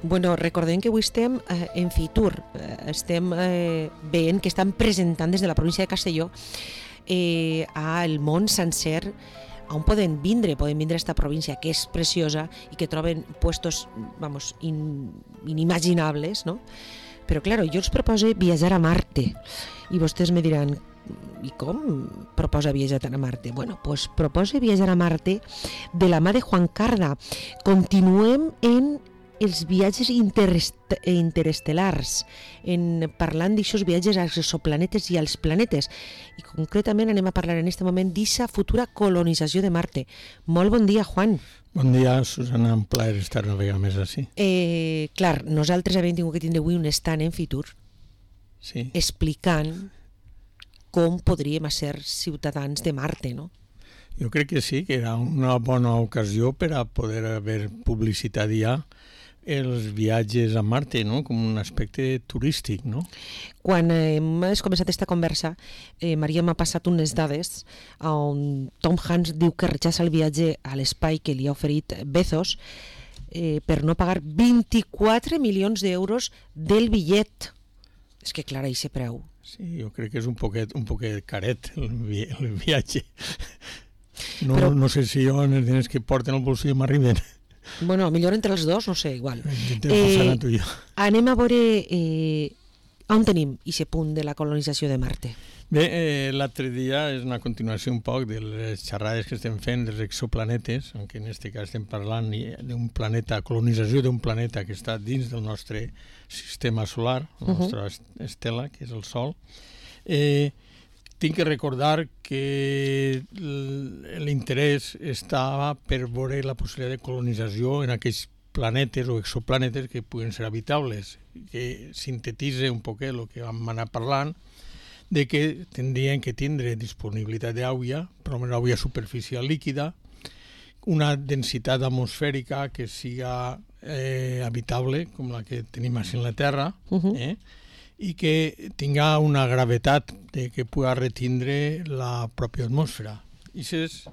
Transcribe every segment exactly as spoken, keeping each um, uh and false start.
Bueno, recordem que avui estem eh, en Fitur, eh, estem eh, veient que estan presentant des de la província de Castelló eh, al món sencer on poden vindre, poden vindre a esta província que és preciosa i que troben puestos, vamos, in, inimaginables, no? Però, claro, jo els proposo viatjar a Marte i vostès me diran, i com proposa viatjar a Marte? Bueno, pues proposa viatjar a Marte de la mà de Juan Carda. Continuem en els viatges interest interestel·lars, en parlant d'aixòs viatges als exoplanetes i als planetes. I concretament anem a parlar en aquest moment d'aquesta futura colonització de Marte. Molt bon dia, Juan. Bon dia, Susana, un plaer estar una vegada més així. Eh, clar, nosaltres hem tingut que tindre avui un stand en Fitur sí. explicant com podríem ser ciutadans de Marte, no? Jo crec que sí, que era una bona ocasió per a poder haver publicitat ja els viatges a Marte, no? Com un aspecte turístic, no? Quan hem començat aquesta conversa, eh, Maria m'ha passat unes dades on Tom Hanks diu que rechaça el viatge a l'espai que li ha oferit Bezos eh, per no pagar vint-i-quatre milions d'euros del bitllet. És que, clar, aquest preu. Sí, jo crec que és un poquet, un poquet caret el, vi el viatge. No, Però, no sé si jo en els diners que porten al bolsillo m'arriben. Bueno, millor entre els dos, no sé, igual. Eh, anem a veure eh, on tenim aquest punt de la colonització de Marte. Bé, eh, l'altre dia és una continuació un poc de les xerrades que estem fent dels exoplanetes, en què en aquest cas estem parlant d'un planeta, colonització d'un planeta que està dins del nostre sistema solar, la nostra uh -huh. estela, que és el Sol. Eh, tinc que recordar que l'interès estava per veure la possibilitat de colonització en aquells planetes o exoplanetes que puguen ser habitables, que sintetitza un poc el que vam anar parlant, de que tindrien que tindre disponibilitat d'aigua, però una aigua superficial líquida, una densitat atmosfèrica que siga eh, habitable, com la que tenim així en la Terra, uh-huh. eh? i que tinga una gravetat de que pugui retindre la pròpia atmosfera. I aquestes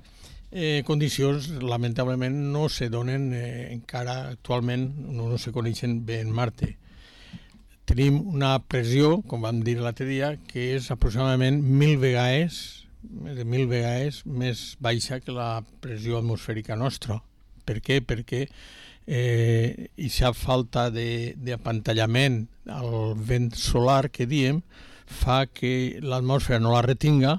eh, condicions, lamentablement, no se donen eh, encara actualment, no, no se coneixen bé en Marte. Tenim una pressió, com vam dir l'altre dia, que és aproximadament mil vegades, més de mil vegades més baixa que la pressió atmosfèrica nostra. Per què? Perquè eh, aquesta falta d'apantallament al vent solar que diem fa que l'atmosfera no la retinga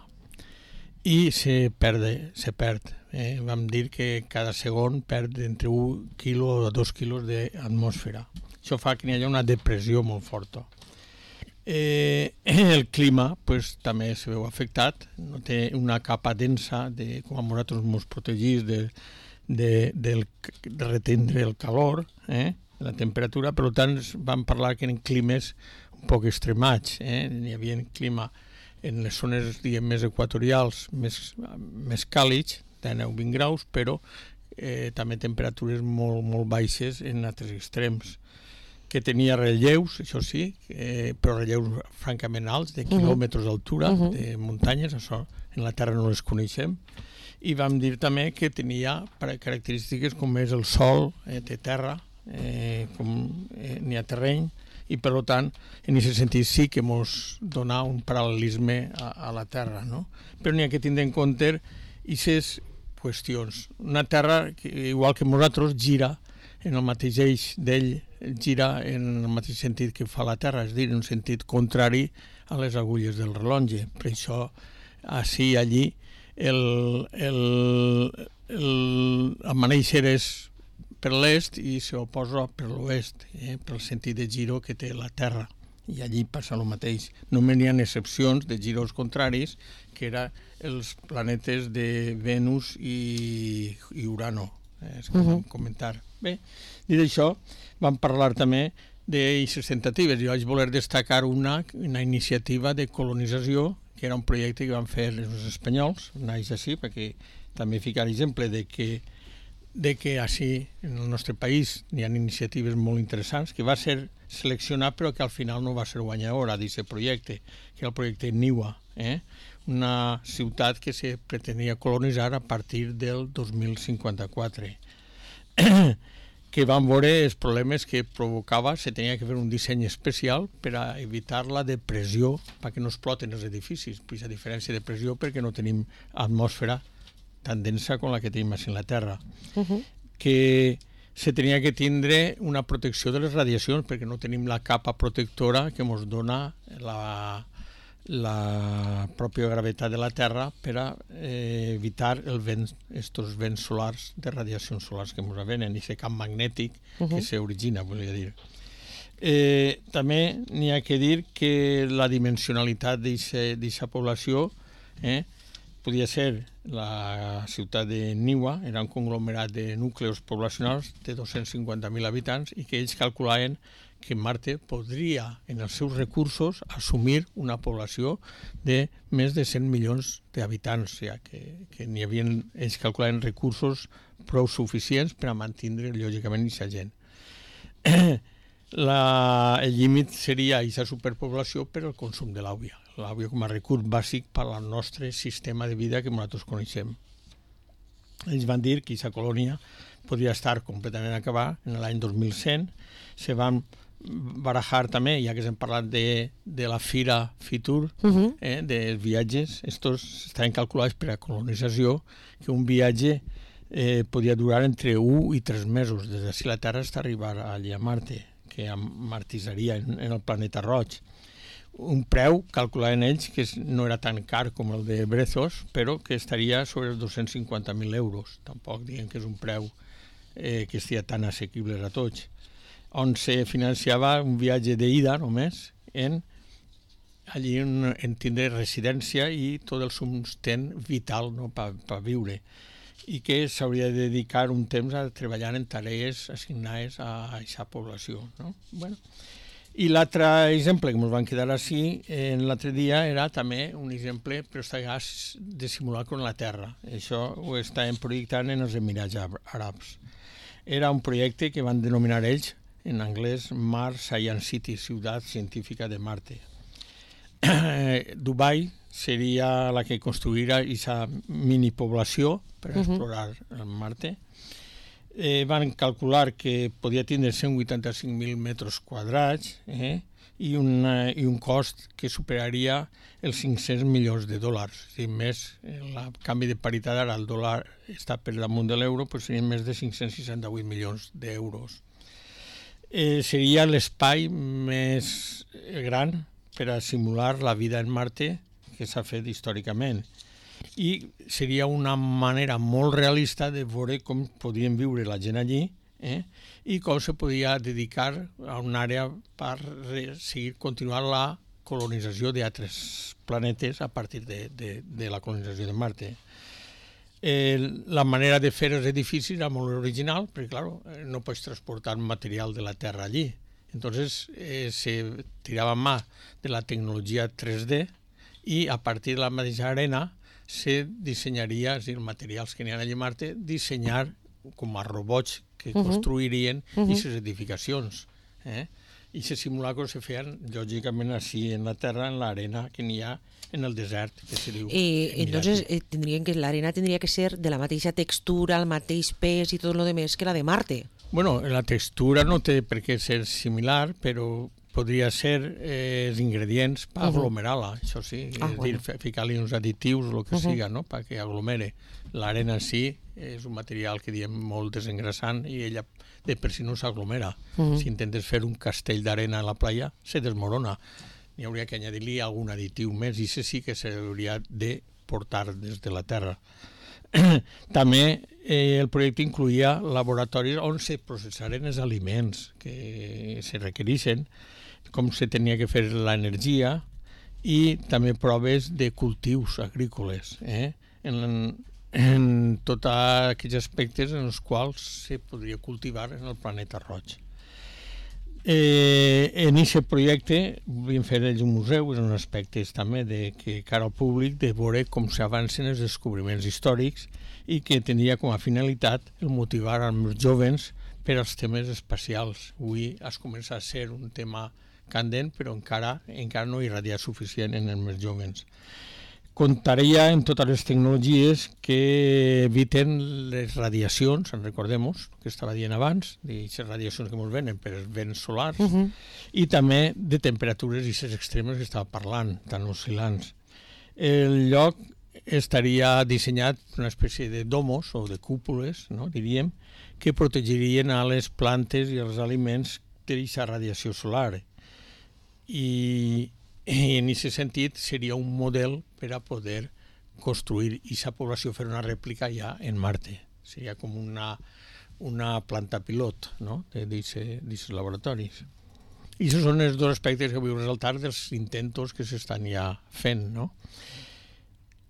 i se perde, se perd. Eh? Vam dir que cada segon perd entre un quilo o dos quilos d'atmosfera. Això fa que hi hagi una depressió molt forta. Eh, el clima pues, també se veu afectat, no té una capa densa de, com a nosaltres ens protegís de, de, de, de retendre el calor, eh, la temperatura, per tant vam parlar que eren climes un poc extremats, eh? Hi havia clima en les zones diguem, més equatorials, més, més càlids, de nou a vint graus, però eh, també temperatures molt, molt baixes en altres extrems, que tenia relleus, això sí, eh, però relleus francament alts, de quilòmetres d'altura, uh-huh. de muntanyes, això en la Terra no les coneixem, i vam dir també que tenia característiques com és el Sol, eh, té terra, eh, com eh, n'hi ha terreny, i per tant, en aquest sentit sí que ens dona un paral·lelisme a, a la Terra, no? Però n'hi ha que tindre en compte aquestes qüestions. Una Terra, que, igual que nosaltres, gira en el mateix eix d'ell, gira en el mateix sentit que fa la Terra, és a dir, en un sentit contrari a les agulles del rellotge. Per això, així i allí, el, el, el, el maneixer és per l'est i s'oposa per l'oest, eh, pel sentit de giro que té la Terra. I allí passa el mateix. Només hi ha excepcions de giros contraris, que eren els planetes de Venus i, i Urano, eh, és com uh-huh. vam comentar. Bé, dit això, vam parlar també d'aixes tentatives. Jo vaig voler destacar una, una iniciativa de colonització, que era un projecte que van fer els espanyols, naix així, perquè també ficar exemple de que de que així en el nostre país hi ha iniciatives molt interessants, que va ser seleccionat però que al final no va ser guanyadora d'aquest projecte, que era el projecte Niua, eh? Una ciutat que se pretenia colonitzar a partir del dos mil cinquanta-quatre. que van veure els problemes que provocava, se tenia que fer un disseny especial per a evitar la depressió, perquè no exploten els edificis, pues a diferència de pressió perquè no tenim atmosfera tan densa com la que tenim a la Terra. Uh-huh. Que se tenia que tindre una protecció de les radiacions perquè no tenim la capa protectora que ens dona la, la pròpia gravetat de la Terra per a eh, evitar el vent, estos vents solars de radiacions solars que ens venen i aquest camp magnètic uh-huh. que s'origina, volia dir. Eh, també n'hi ha que dir que la dimensionalitat d'aquesta població eh, podia ser la ciutat de Niua, era un conglomerat de núcleos poblacionals de dos-cents cinquanta mil habitants i que ells calculaven que Marte podria, en els seus recursos, assumir una població de més de cent milions d'habitants, ja que, que n'hi havia, ells calculaven recursos prou suficients per a mantenir, lògicament, aquesta gent. La, el límit seria aquesta superpoblació per al consum de l'àvia. L'àvia com a recurs bàsic per al nostre sistema de vida que nosaltres coneixem. Ells van dir que aquesta colònia podria estar completament acabada en l'any dos mil cent. Se van barajar també, ja que hem parlat de, de la Fira Fitur, uh-huh. eh, dels viatges, estos estaven calculats per a colonització, que un viatge eh, podia durar entre un i tres mesos, des d'ací la Terra fins a arribar allà a Marte, que martisaria en, en el planeta roig. Un preu, calculaven ells, que no era tan car com el de Brezos, però que estaria sobre els dos-cents cinquanta mil euros. Tampoc diguem que és un preu eh, que estigui tan assequible a tots. On se financiava un viatge d'ida només, en, allí en, en tindre residència i tot el sustent vital no, per pa viure. I que s'hauria de dedicar un temps a treballar en tarees assignades a aquesta població. No? Bueno. I l'altre exemple que ens van quedar així en l'altre dia era també un exemple, però està de simular con la Terra. Això ho estàvem projectant en els Emirats Àrabs. Era un projecte que van denominar ells, en anglès, Mars Science City, Ciutat Científica de Marte. Dubai seria la que construirà aquesta minipoblació per a explorar uh-huh. Marte. Eh, van calcular que podia tindre cent vuitanta-cinc mil metres quadrats eh, i, una, i un cost que superaria els cinc-cents milions de dòlars. Si més, el canvi de paritat ara el dòlar està per damunt de l'euro, doncs serien més de cinc-cents seixanta-vuit milions d'euros. Eh, seria l'espai més gran per a simular la vida en Marte que s'ha fet històricament. I seria una manera molt realista de veure com podien viure la gent allí eh? I com se podia dedicar a una àrea per seguir continuar la colonització d'altres planetes a partir de, de, de la colonització de Marte. Eh, la manera de fer els edificis era molt original, perquè clar, no pots transportar material de la Terra allí. Entonces eh, se tirava mà de la tecnologia tres D i a partir de la mateixa arena se dissenyaria, és a dir, materials que n'hi ha allà a Marte, dissenyar com a robots que uh-huh. construirien uh-huh. aquestes edificacions. Eh? I aquests simulacros se feien, lògicament, així en la Terra, en l'arena que n'hi ha en el desert, que se diu. Eh, entonces, eh, tendrían que, la arena tendría que ser de la mateixa textura, el mateix pes i tot lo demás que la de Marte. Bueno, la textura no té per què ser similar, però podria ser eh, els ingredients per uh-huh. aglomerar-la, això sí, ah, és bueno. dir, ficar-li uns additius o el que uh-huh. siga, no?, perquè aglomere. L'arena en si és un material que diem molt desengrasant i ella de per si no s'aglomera. Uh-huh. Si intentes fer un castell d'arena a la playa, se desmorona. N'hi hauria que añadir-li algun additiu més i això sí que s'hauria de portar des de la Terra. També eh, el projecte incluïa laboratoris on se processaren els aliments que se requereixen, com se tenia que fer l'energia i també proves de cultius agrícoles, eh? en, en tots aquells aspectes en els quals se podria cultivar en el planeta roig. Eh, en aquest projecte volíem fer ells un museu, és un aspecte també de que cara al públic de veure com s'avancen els descobriments històrics i que tindria com a finalitat el motivar els joves per als temes espacials. Avui es comença a ser un tema candent, però encara, encara no irradia suficient en els més joves. comptaria en totes les tecnologies que eviten les radiacions, en recordem-nos, que estava dient abans, aquestes radiacions que ens venen per els vents solars, uh -huh. i també de temperatures i aquestes extremes que estava parlant, tan oscil·lants. El lloc estaria dissenyat una espècie de domos o de cúpules, no, diríem, que protegirien a les plantes i els aliments d'aquesta radiació solar. I, i en aquest sentit seria un model per a poder construir aquesta població, fer una rèplica ja en Marte. Seria com una, una planta pilot, no?, d'aquests laboratoris. I aquests són els dos aspectes que vull resaltar dels intentos que s'estan ja fent, no?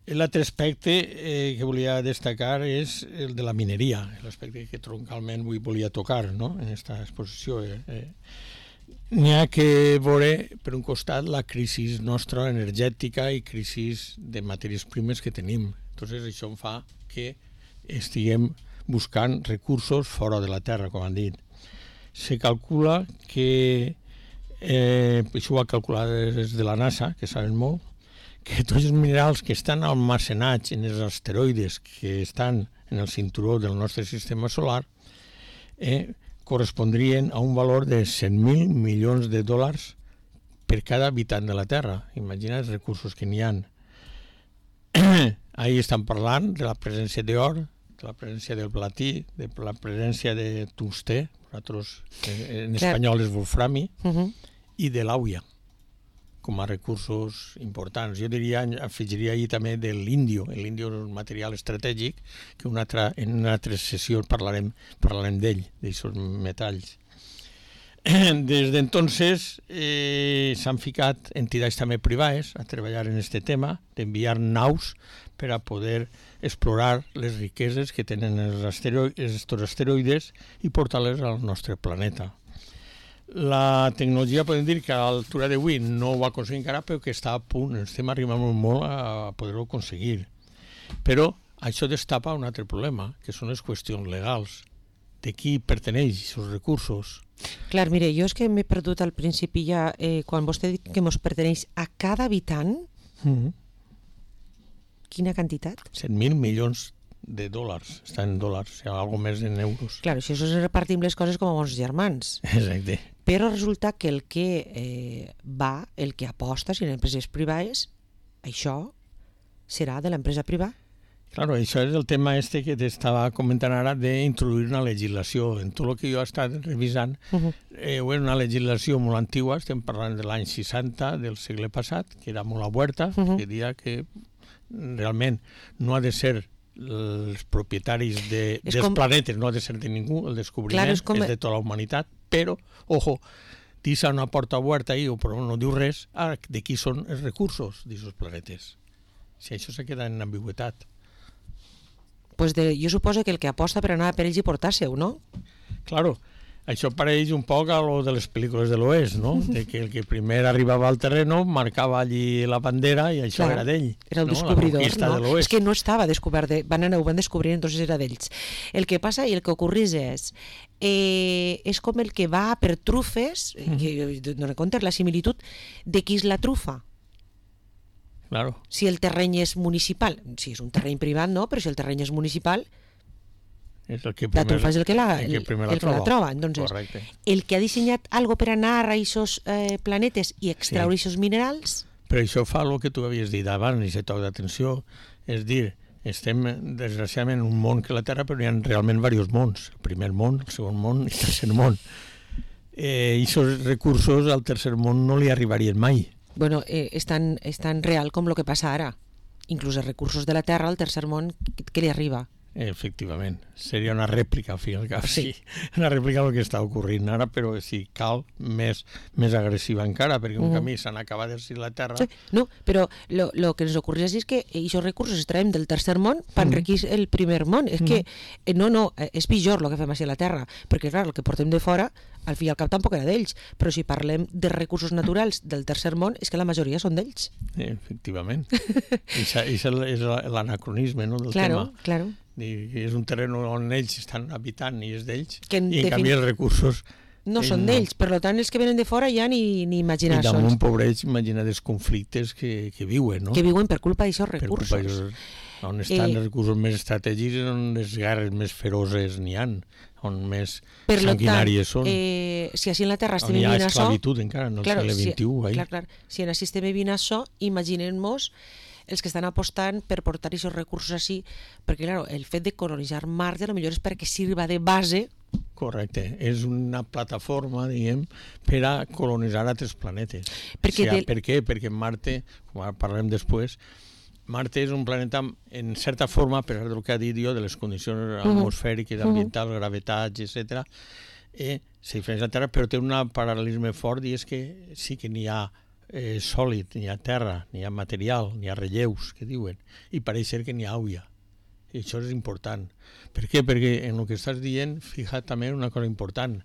L'altre aspecte eh, que volia destacar és el de la mineria, l'aspecte que troncalment avui volia tocar, no?, en aquesta exposició. Eh, eh. N'hi ha que veure, per un costat, la crisi nostra energètica i crisi de matèries primes que tenim. Entonces, això em fa que estiguem buscant recursos fora de la Terra, com han dit. Se calcula que, eh, això ho ha calculat des de la NASA, que saben molt, que tots els minerals que estan almacenats en els asteroides que estan en el cinturó del nostre sistema solar eh, correspondrien a un valor de cent mil milions de dòlars per cada habitant de la Terra. Imagina els recursos que n'hi ha. Ahí estan parlant de la presència d'or, de la presència del platí, de la presència de tungstè, nosaltres en espanyol és wolframi, uh -huh. i de l'àuia, com a recursos importants. Jo diria, afegiria ahir també de l'índio. L'índio és un material estratègic que una altra, en una altra sessió parlarem, parlarem d'ell, d'aquests metalls. Des d'entonces eh, s'han ficat entitats també privades a treballar en aquest tema, d'enviar naus per a poder explorar les riqueses que tenen els asteroides, els asteroides i portar-les al nostre planeta. La tecnologia, podem dir que a l'altura d'avui no ho ha aconseguit encara, però que està a punt, estem arribant molt a poder-ho aconseguir. Però això destapa un altre problema, que són les qüestions legals. De qui perteneix aquests recursos? Clar, mire, jo és que m'he perdut al principi ja, eh, quan vostè diu que ens perteneix a cada habitant, mm-hmm. Quina quantitat? cent mil milions de dòlars, està en dòlars, o sigui, alguna més en euros. Clar, si això es repartim les coses com a bons germans. Exacte. Però resulta que el que eh, va, el que aposta, si en empreses privades, això serà de l'empresa privada. Claro, això és el tema este que t'estava comentant ara d'introduir una legislació. En tot el que jo he estat revisant, uh-huh. eh, és una legislació molt antigua, estem parlant de l'any seixanta del segle passat, que era molt abuerta, uh-huh. que diria que realment no ha de ser els propietaris de, dels com... planetes, no ha de ser de ningú, el descobriment Clar, és, com... és de tota la humanitat, però, ojo, deixa una porta oberta ahí, o però no diu res, ah, de qui són els recursos d'aquests planetes. Si això se queda en ambigüitat. Pues de, jo suposo que el que aposta per anar per ells i portar-se-ho, no? Claro, això pareix un poc a lo de les pel·lícules de l'Oest, no? De que el que primer arribava al terreno marcava allí la bandera i això Clar, era d'ell. Era el no? descobridor, de no? És que no estava descobert, de, van anar, ho van descobrir, entonces era d'ells. El que passa i el que ocorreix és, eh, és com el que va per trufes, mm. que no comptes la similitud, de qui és la trufa. Claro. Si el terreny és municipal, si és un terreny privat no, però si el terreny és municipal, és el que primer, la trufa és el que la, el, el que la, el que la troba. Entonces, Correcte. El que ha dissenyat algo per anar a aquests eh, planetes i extraure aquests sí. minerals... Però això fa el que tu havies dit abans, i se toc d'atenció, és dir, estem desgraciadament en un món que la Terra, però hi ha realment diversos mons. El primer món, el segon món i el tercer món. Eh, I aquests recursos al tercer món no li arribarien mai. Bueno, eh, és, tan, és tan real com el que passa ara. Inclús els recursos de la Terra al tercer món, què li arriba? Efectivament, seria una rèplica al fi i al cap, sí. Una rèplica del que està ocorrint ara, però si cal més, més agressiva encara, perquè un uh-huh. camí s'han acabat de la Terra. Sí, no, però el que ens ocorreix és que aquests recursos es traiem del tercer món per enriquir uh-huh. el primer món. És uh-huh. que, eh, no, no, és pitjor el que fem així a la Terra, perquè clar, el que portem de fora, al fi i al cap tampoc era d'ells, però si parlem de recursos naturals del tercer món, és que la majoria són d'ells. Sí, efectivament. I és l'anacronisme, no, del claro, tema. Claro, és un terreny on ells estan habitant i és d'ells, i en defini... canvi els recursos no són d'ells, per tant els que venen de fora ja ni, ni imaginar I damunt, pobreig, imagina els conflictes que, que viuen, no? Que viuen per culpa d'aixòs recursos. Per culpa d'aixòs, on estan eh, els recursos més estratègics, on les guerres més feroses n'hi ha, on més per sanguinàries tant, són. Eh, si així en la Terra estem vivint això... On hi ha esclavitud encara, no el claro, segle vint-i-u. Si, clar, clar, si en així estem vivint això, imaginem-nos els que estan apostant per portar aquests recursos així, perquè clar, el fet de colonitzar Marte potser és perquè sirva de base. Correcte, és una plataforma, diguem, per a colonitzar altres planetes. Perquè o sigui, del... Per què? Perquè Marte, com ara parlarem després, Marte és un planeta, en certa forma, per del que ha dit jo, de les condicions atmosfèriques, ambientals, gravetats, etcètera, eh, se difereix de la Terra, però té un paral·lelisme fort i és que sí que n'hi ha eh, sòlid, n'hi ha terra, n'hi ha material, n'hi ha relleus, que diuen, i pareix ser que n'hi ha aigua. I això és important. Per què? Perquè en el que estàs dient, fija't també una cosa important.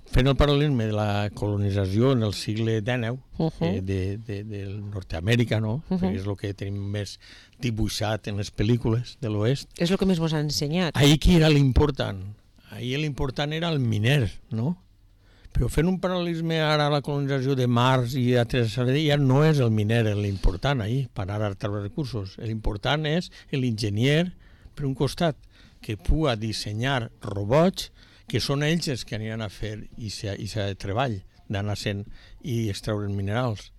Fent el paral·lelisme de la colonització en el segle dinou, uh -huh. eh, de, de, de Nord-Amèrica, no? Uh -huh. Perquè és el que tenim més dibuixat en les pel·lícules de l'oest. És el que més ens ha ensenyat. Ahir qui era l'important? Ahir l'important era el miner, no? Però fent un paral·lelisme ara a la colonització de Mars i altres, ja no és el miner l'important ahir, per ara treure recursos. L'important és l'enginyer, per un costat, que pugui dissenyar robots que són ells els que aniran a fer aquest treball d'anar sent i extreure minerals.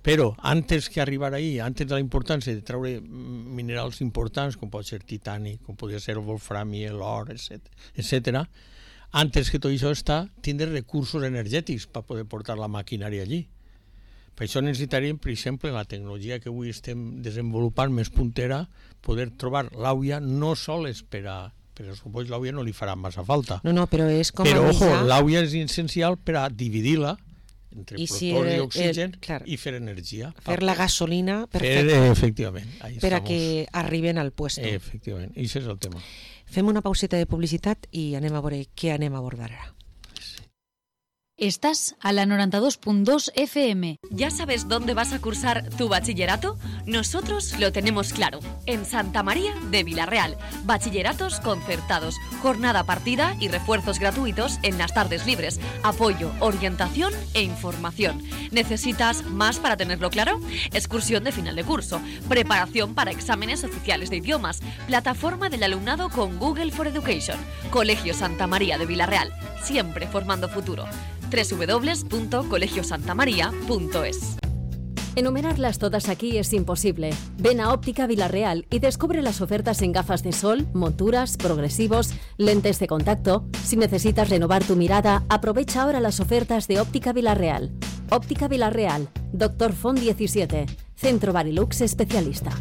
Però, antes que arribar ahí, antes de la importància de treure minerals importants, com pot ser titani, com podria ser el wolframi, l'or, etcètera, antes que tot això està, tindre recursos energètics per poder portar la maquinària allí. Per això necessitaríem, per exemple, la tecnologia que avui estem desenvolupant més puntera, poder trobar l'àuia no sols per a... Però suposo l'àuia no li farà massa falta. No, no, però és com però, a ojo, l'àuia és essencial per a dividir-la entre I protons si i oxigen el, clar, i fer energia. Fer la gasolina perfecte. Fer, efectivament. Per a que arriben al puesto. Efectivament, i això és el tema. Fem una pauseta de publicitat i anem a veure què anem a abordar ara. Estás a la noventa y dos punto dos F M. ¿Ya sabes dónde vas a cursar tu bachillerato? Nosotros lo tenemos claro. En Santa María de Vilarreal. Bachilleratos concertados, jornada partida y refuerzos gratuitos en las tardes libres. Apoyo, orientación e información. ¿Necesitas más para tenerlo claro? Excursión de final de curso. Preparación para exámenes oficiales de idiomas. Plataforma del alumnado con Google for Education. Colegio Santa María de Vilarreal. Siempre formando futuro. doble u doble u doble u punto colegio santa maría punto es. Enumerarlas todas aquí es imposible. Ven a Óptica Vilarreal y descubre las ofertas en gafas de sol, monturas, progresivos, lentes de contacto. Si necesitas renovar tu mirada, aprovecha ahora las ofertas de Óptica Vilarreal. Óptica Vilarreal, Doctor Font diecisiete, Centro Barilux Especialista.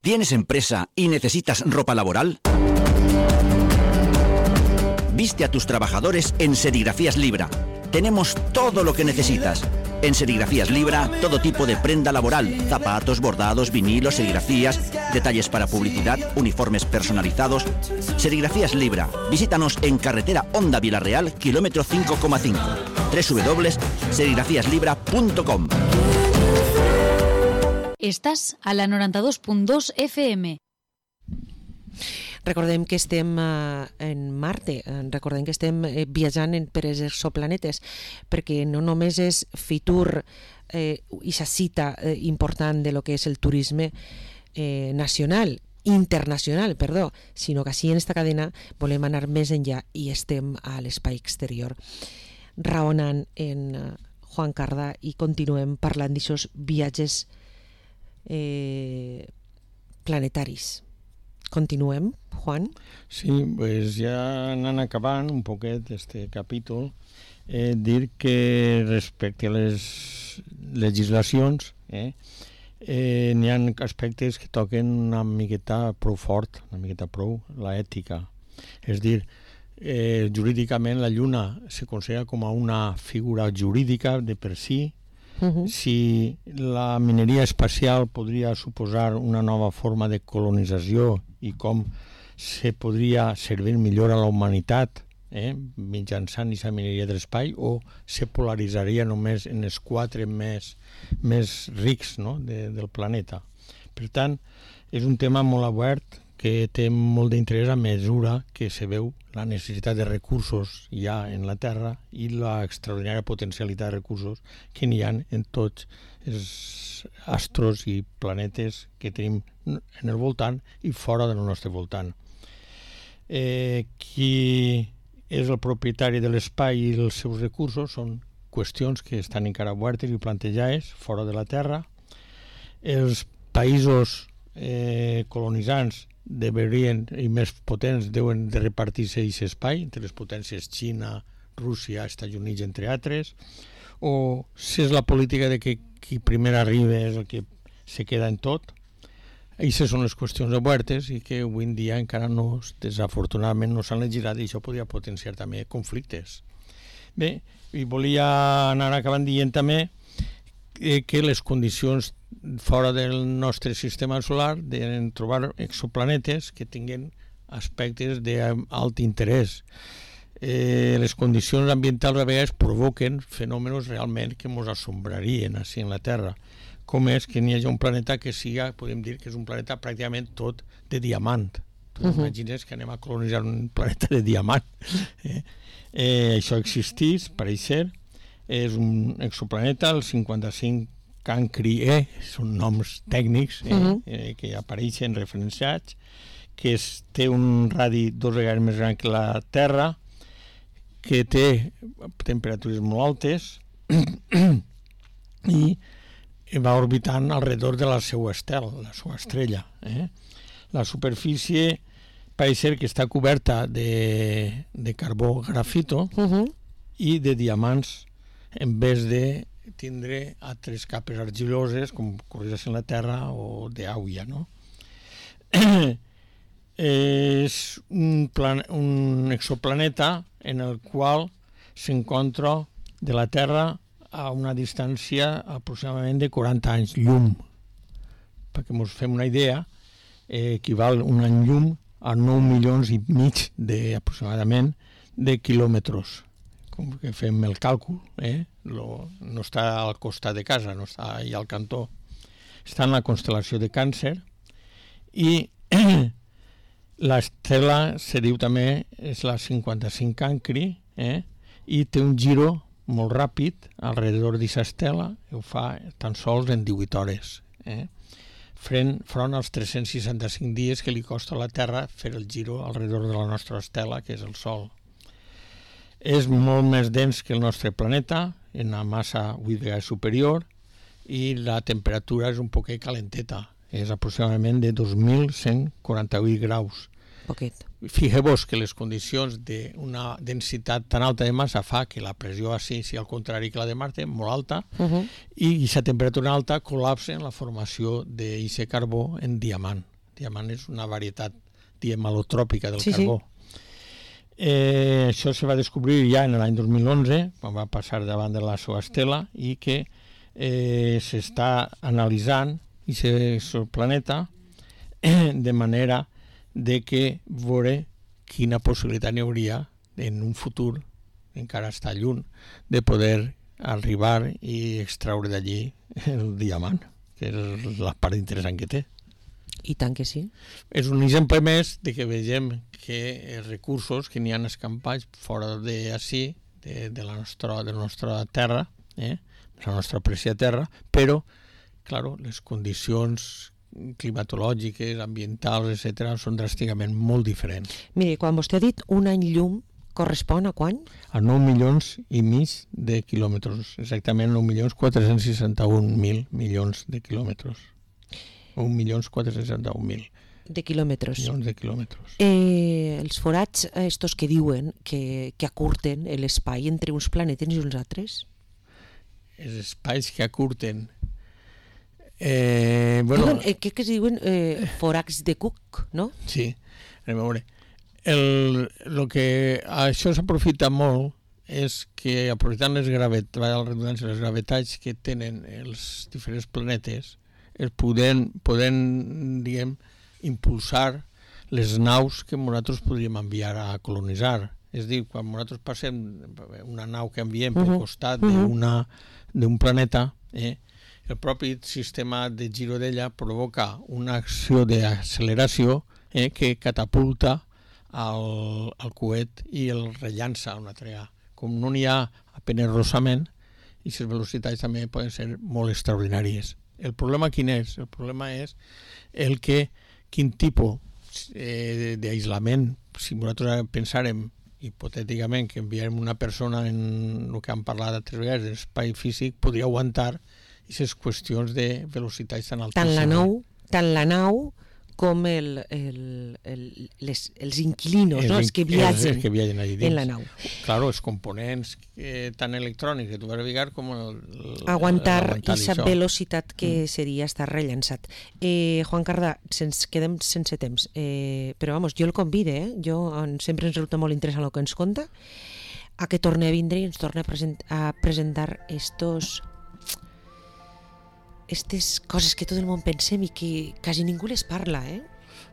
¿Tienes empresa y necesitas ropa laboral? Viste a tus trabajadores en Serigrafías Libra. Tenemos todo lo que necesitas. En Serigrafías Libra, todo tipo de prenda laboral, zapatos, bordados, vinilos, serigrafías, detalles para publicidad, uniformes personalizados. Serigrafías Libra. Visítanos en carretera Honda Vilarreal, kilómetro cinco coma cinco. doble u doble u doble u punto serigrafías libra punto com. Estás a la noventa y dos punto dos F M. Recordem que estem uh, en Marte, recordem que estem eh, viatjant en, per els exoplanetes, perquè no només és Fitur eh, i sa cita eh, important de lo que és el turisme eh, nacional, internacional, perdó, sinó que així en esta cadena volem anar més enllà i estem a l'espai exterior. Raonant en uh, Juan Carda i continuem parlant d'aixòs viatges eh, planetaris. Continuem, Juan? Sí, pues ja anant acabant un poquet este capítol, eh, dir que respecte a les legislacions eh, eh, n'hi ha aspectes que toquen una miqueta prou fort, una miqueta prou, la ètica. És dir, eh, jurídicament la Lluna se considera com a una figura jurídica de per si. Uh-huh. Si la mineria espacial podria suposar una nova forma de colonització i com se podria servir millor a la humanitat eh, mitjançant aquesta mineria de l'espai, o se polaritzaria només en els quatre més, més rics no, de, del planeta. Per tant, és un tema molt obert que té molt d'interès a mesura que se veu la necessitat de recursos ja en la Terra i la extraordinària potencialitat de recursos que n'hi ha en tots els astros i planetes que tenim en el voltant i fora del nostre voltant. Eh, qui és el propietari de l'espai i els seus recursos són qüestions que estan encara obertes i plantejades fora de la Terra. Els països eh, colonitzants deberien, i més potents, deuen de repartir-se aquest espai entre les potències Xina, Rússia, Estats Units, entre altres, o si és la política de que qui primer arriba és el que se queda en tot. Aquestes són les qüestions obertes i que avui en dia encara no, desafortunadament, no s'han legislat i això podria potenciar també conflictes. Bé, i volia anar acabant dient també que les condicions fora del nostre sistema solar de trobar exoplanetes que tinguin aspectes d'alt interès. Eh, les condicions ambientals a vegades provoquen fenòmenos realment que ens assombrarien així en la Terra, com és que n'hi hagi un planeta que siga, podem dir que és un planeta pràcticament tot de diamant. Tu uh-huh. imagines que anem a colonitzar un planeta de diamant. Eh? Eh, això existeix, pareix ser, és un exoplaneta, el cinquanta-cinc Cancri E, són noms tècnics eh, uh-huh. eh, que apareixen referenciats, que es, té un radi dos vegades més gran que la Terra, que té temperatures molt altes i va orbitant alrededor de la seva estel, la seva estrella. Eh? La superfície pareix ser que està coberta de, de carbó grafito uh-huh. i de diamants en vez de tindre altres capes argiloses com correix en la Terra o d'auia, no? És un, plan, un exoplaneta en el qual s'encontra de la Terra a una distància aproximadament de quaranta anys llum. Perquè ens fem una idea, eh, equival un any llum a nou milions i mig de, aproximadament de quilòmetres. Com que fem el càlcul, eh? Lo, no està al costat de casa, no està allà al cantó. Està en la constel·lació de Càncer i l'estel·la se diu també, és la cinquanta-cinc Cancri, eh? I té un giro molt ràpid alrededor d'aquesta estela, i ho fa tan sols en divuit hores. Eh? Front, front als tres-cents seixanta-cinc dies que li costa a la Terra fer el giro alrededor de la nostra estela, que és el Sol. És molt més dens que el nostre planeta, en una massa vuit vegades superior, i la temperatura és un poquet calenteta. És aproximadament de dos mil cent quaranta-vuit graus. Poquet. Fixeu-vos que les condicions d'una densitat tan alta de massa fa que la pressió així, si al contrari que la de Marte, molt alta, uh-huh. i aquesta temperatura alta col·lapsa en la formació d'aquest carbó en diamant. Diamant és una varietat diamalotròpica del sí, carbó. Sí. Eh, això se va descobrir ja en l'any dos mil onze, quan va passar davant de la seva estela, i que eh, s'està analitzant aquest planeta eh, de manera de que veure quina possibilitat n'hi hauria en un futur, encara està lluny, de poder arribar i extraure d'allí el diamant, que és la part interessant que té. I tant que sí. És un exemple més de que vegem que els recursos que n'hi ha escampats fora d'ací, de, de, la nostra, de la nostra terra, eh? la nostra preciada terra, però, clar, les condicions climatològiques, ambientals, etcètera, són dràsticament molt diferents. Mire, quan vostè ha dit un any llum, correspon a quan? A nou milions i mig de quilòmetres, exactament nou milions quatre-cents seixanta-un mil milions de quilòmetres. un milió quatre-cents seixanta-un mil. De quilòmetres. Milions de quilòmetres. Eh, els forats estos que diuen que, que acurten l'espai entre uns planetes i uns altres? Els espais que acurten... Eh, bueno, diuen, eh, què que es diuen eh, forats de Cook, no? Sí, anem a veure. El, el que això s'aprofita molt és que aprofitant les gravetats, les gravetats que tenen els diferents planetes, es poden, poden diguem, impulsar les naus que nosaltres podríem enviar a colonitzar. És a dir, quan nosaltres passem una nau que enviem uh-huh. pel costat uh-huh. d'un planeta, eh, el propi sistema de giro d'ella provoca una acció d'acceleració eh, que catapulta el, el coet i el rellança a una altra vegada. Com no n'hi ha apenas rossament, i les velocitats també poden ser molt extraordinàries. El problema quin és? El problema és el que, quin tipus eh, d'aïllament, si nosaltres pensàrem hipotèticament que enviarem una persona en el que hem parlat altres vegades, de l'espai físic, podria aguantar aquestes qüestions de velocitats tan altíssimes. Tant la nau, tant la nau com el, el, el, les, els inquilinos, els, no? els que viatgen, els que viatgen allà dins. En la nau. Claro, els components eh, tan electrònics que tu vas veure com el, el, aguantar aquesta velocitat que mm. seria estar rellançat. Eh, Juan Cardà, ens quedem sense temps, eh, però vamos, jo el convide, eh? jo sempre ens resulta molt interessant el que ens conta, a que torni a vindre i ens torni a, present, a presentar estos aquestes coses que tot el món pensem i que quasi ningú les parla, eh?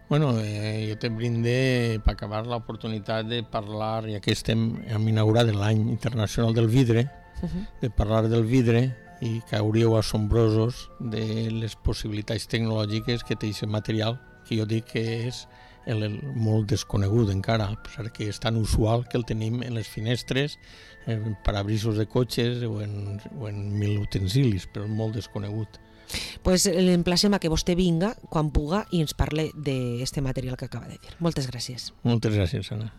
Bueno, eh, jo te brinde per acabar l'oportunitat de parlar, ja que estem hem inaugurat l'any internacional del vidre, uh-huh. de parlar del vidre i cauríeu assombrosos de les possibilitats tecnològiques que té aquest material, que jo dic que és el, el molt desconegut encara, perquè és tan usual que el tenim en les finestres, en parabrisos de cotxes o en, o en mil utensilis, però molt desconegut. Pues l'emplacem a que vostè vinga quan puga i ens parle d'aquest material que acaba de dir. Moltes gràcies. Moltes gràcies, Anna.